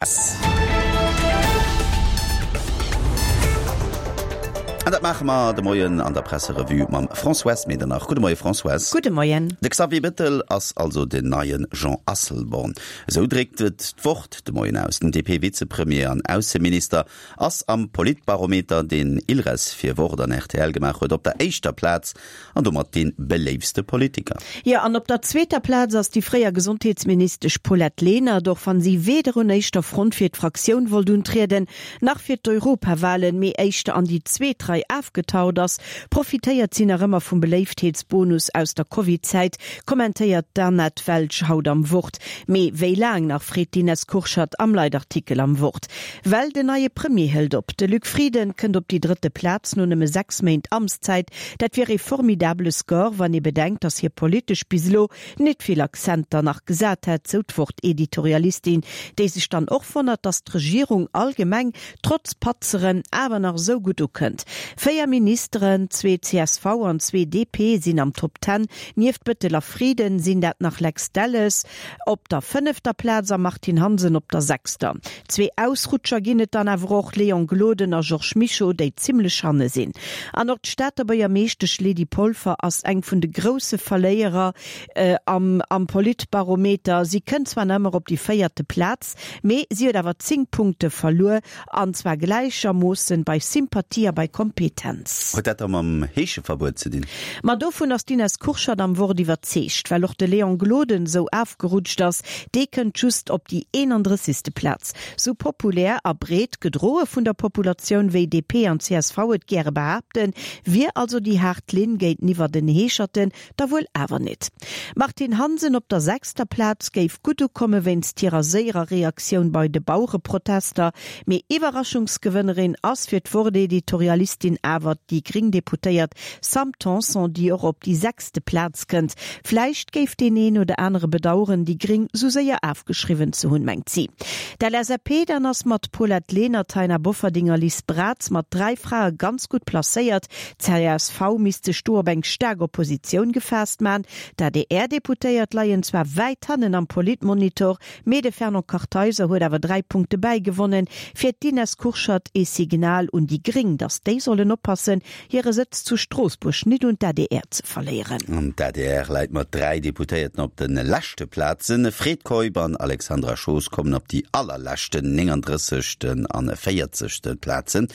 S. An dat maache mer de Moien an der Presserevue mam Françoise Medernach. Gudde Moie Françoise. Gudde Moien. De Xavier Bettel ass also den neie Jean Asselborn. Esou dréckt et d'Wort de Moien aus. Den DP-Vizepremier an Ausseminister ass am Politbarometer, deen Ilres fir Wort an rtl gemaach huet, op der éischter Plaz An domat dee beléiftste Politiker. Jo, an op der zweeter Plaz ass déi fréier Gesondheetsministesch Paulette Lenert, och wann si weder un éischter Front fir d'Fraktioun wollt untrieden, nach fir d'Europawahlen, mee éischter an déi zweet Rei afgetaucht ass, profitéiert si nach ëmmer vum Beléiftheetsbonus aus der Covid-Zäit, kommentéiert d'Annette Welsch haut am Wort. Mee wéi laang nach, freet d'Ines Kurschat am Leitartikel am Wort. Well den neie Premier hëlt op. De Luc Frieden kënnt op déi drëtte Plaz no nëmme 6 Méint Amtszäit. Dat wier ee formidabele Score, wann ee bedenkt, datt hie politesch bis elo nit vill Akzenter nach gesat hätt, sou d'Wort-Editorialistin, déi sech dann och wonnert, datt d'Regierung allgemeng trotz Patzeren awer nach esou gutt ukënnt. 4 Ministeren, zwee csv an zwee DP, sinn am Top Ten. Nieft Bettel a Frieden sinn dat nach Lex Delles, Op der fënnefter Plaz a Martine Hansen op der sechster. Zwee Ausrutscher ginn et dann awer och, Léon Gloden a Georges Mischo, déi zimmlech hanne sinn. An och d'Stater Buergermeeschtesch Lydie Polfer ass eng vun de grousse Verléierer am Politbarometer. Si kënnt zwar nach ëmmer op déi véierte Plaz, mee si huet awer 10 Punkte verluer. An zwar gläichermoossen bei Sympathie a bei Kompetenz. Huet dat da mam Heescheverbuet ze dinn? Ma dovun ass d'Ines Kurschat am Wort iwwerzeegt. Well och de Léon Gloden sou afgerutscht ass, dee kënnt just op déi 31. Plaz. Sou populär a breet gedroe vun der Populatioun, wéi DP an csv et gäre behaapten, wier also déi haart Linn géinteniwwer den Heescherten Da wuel awer nit. D'Martine Hansen op der sechster Plaz géif gutt ukomme wéinst hirer séierer Reaktioun bei de Bauereprotester. Mee Iwwerraschungsgewënnerin ass fir d'Wort-Editorialistin awer déi gréng Deputéiert Sam Tanson, déi och op déi sechste Plaz kënnt. Vläicht géif deen een oder anere bedaueren, déi gréng sou séier afgeschriwwen ze hunn, mengt si. D'LSAP dann ass mat Paulette Lenert, Taina Bofferding a Liz Braz mat 3 Frae ganz gutt placéiert. D'CSV misst sech do op eng staark Oppositioun gefaasst man. D'ADR-Deputéiert leien zwar wäit hannen am Politmonitor, mee de Fernand Kartheiser huet awer 3 Punkte bäigewonnen. Fir d'Ines Kurschat ee Signal un déi Gréng, datt déi sollen oppassen, hire Sëtz zu Stroossbuerg nit un d'ADR ze verléieren. An d'ADR läit mat 3 Deputéierten op de leschte Plazen. Fred Keup an Alexandra Schoos kommen op déi allerleschten 39. an 40. Plazen.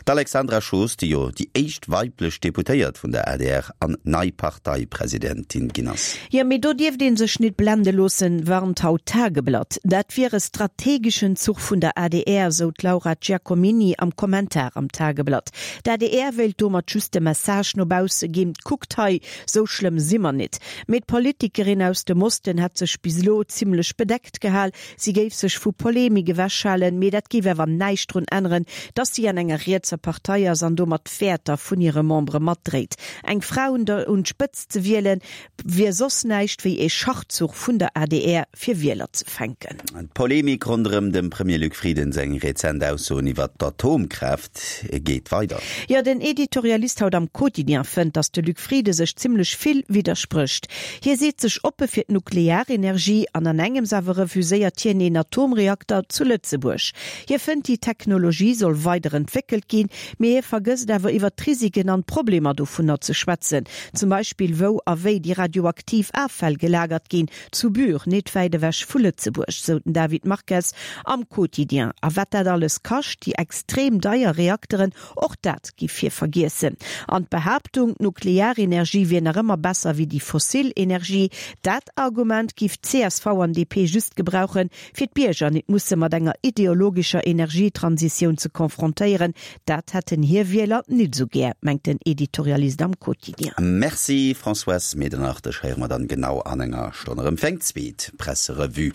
D'Alexandra Schoos, déi jo déi éischt weiblech Deputéiert vun der adr an nei Parteipresidentin ginn ass. Jo, mee do dierft ee sech nit blende loossen, warnt haut d'Tageblatt. Dat wier e strategeschen Zuch vun der adr, sou d'Laura Giacomini am Kommentar am Tageblatt. D'adr wéilt domat just de Message no bausse ginn, Kuckt hei, sou schlëmm si mer nit. Mee d'Politikerin aus dem Osten hätt sech bis elo zimmlech bedeckt gehal, Si géif sech vu Polemik ewechhalen, mee dat géif awer näischt drun änneren, datt si an enger rietser Partei ass an domat d'Wäerter vun hire Membere matdréit. Eng Fra un der un d'Spëtzt ze wielen, wier soss näischt wéi ee Schachzuch vun der adr fir Wieler ze fänken. D'Polemik ronderëm dem Premier Luc Frieden seng rezent Aussoen iwwer d'Atomkraaft geet weider. Jo, den Editorialist haut am Quotidien fënnt, datt de Luc Frieden sech zimmlech vill widdersprécht. Hie seet sech oppe fir d'Nuklearenergie an an engems awer refuséiert hien een Atomreakter zu Lëtzebuerg. Hie fënnt déi Technologie soll weider entwéckelt ginn, mee hie vergësst awer iwwer d'Risiken an d'Problemer dovunner ze schwätzen, zum Beispill wou a wéi déi radioaktiv Affäll gelagert ginn, zu Bure, net wäit ewech vu Lëtzebuerg, sou den David Marques am Quotidien. A wat dat alles kascht, déi extrem deier Reakteren, Och dat giff hie vergiessen. An d'Behaaptung, d'Nuklearenergie wier nach ëmmer besser wéi déi fossil Energie, dat Argument giff csv an DP just gebrauchen, fir d'Bierger nit musse mat enger ideologescher Energietransitioun ze konfrontéieren. Dat hätten hir Wieler nit esou gär, mengt den Editorialist am Quotidien. Merci Françoise Medernach, dech héiere mer dann genau an enger Stonn erëm fir eng zweet Presserevue.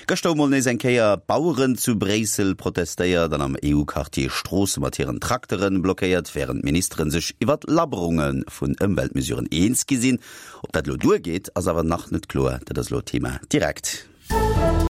Gëschter hu mol nees eng Kéier d'Baueren zu Bréissel protestéiert an am EU-Quartier Stroosse mat hiren Trakteren blockéiert, wärend d'Ministeren sech iwwert Labberunge vun Ëmweltmesuren eens gi sinn. Ob dat elo duergeet, ass awer nach net kloer. Dat ass elo Thema direkt.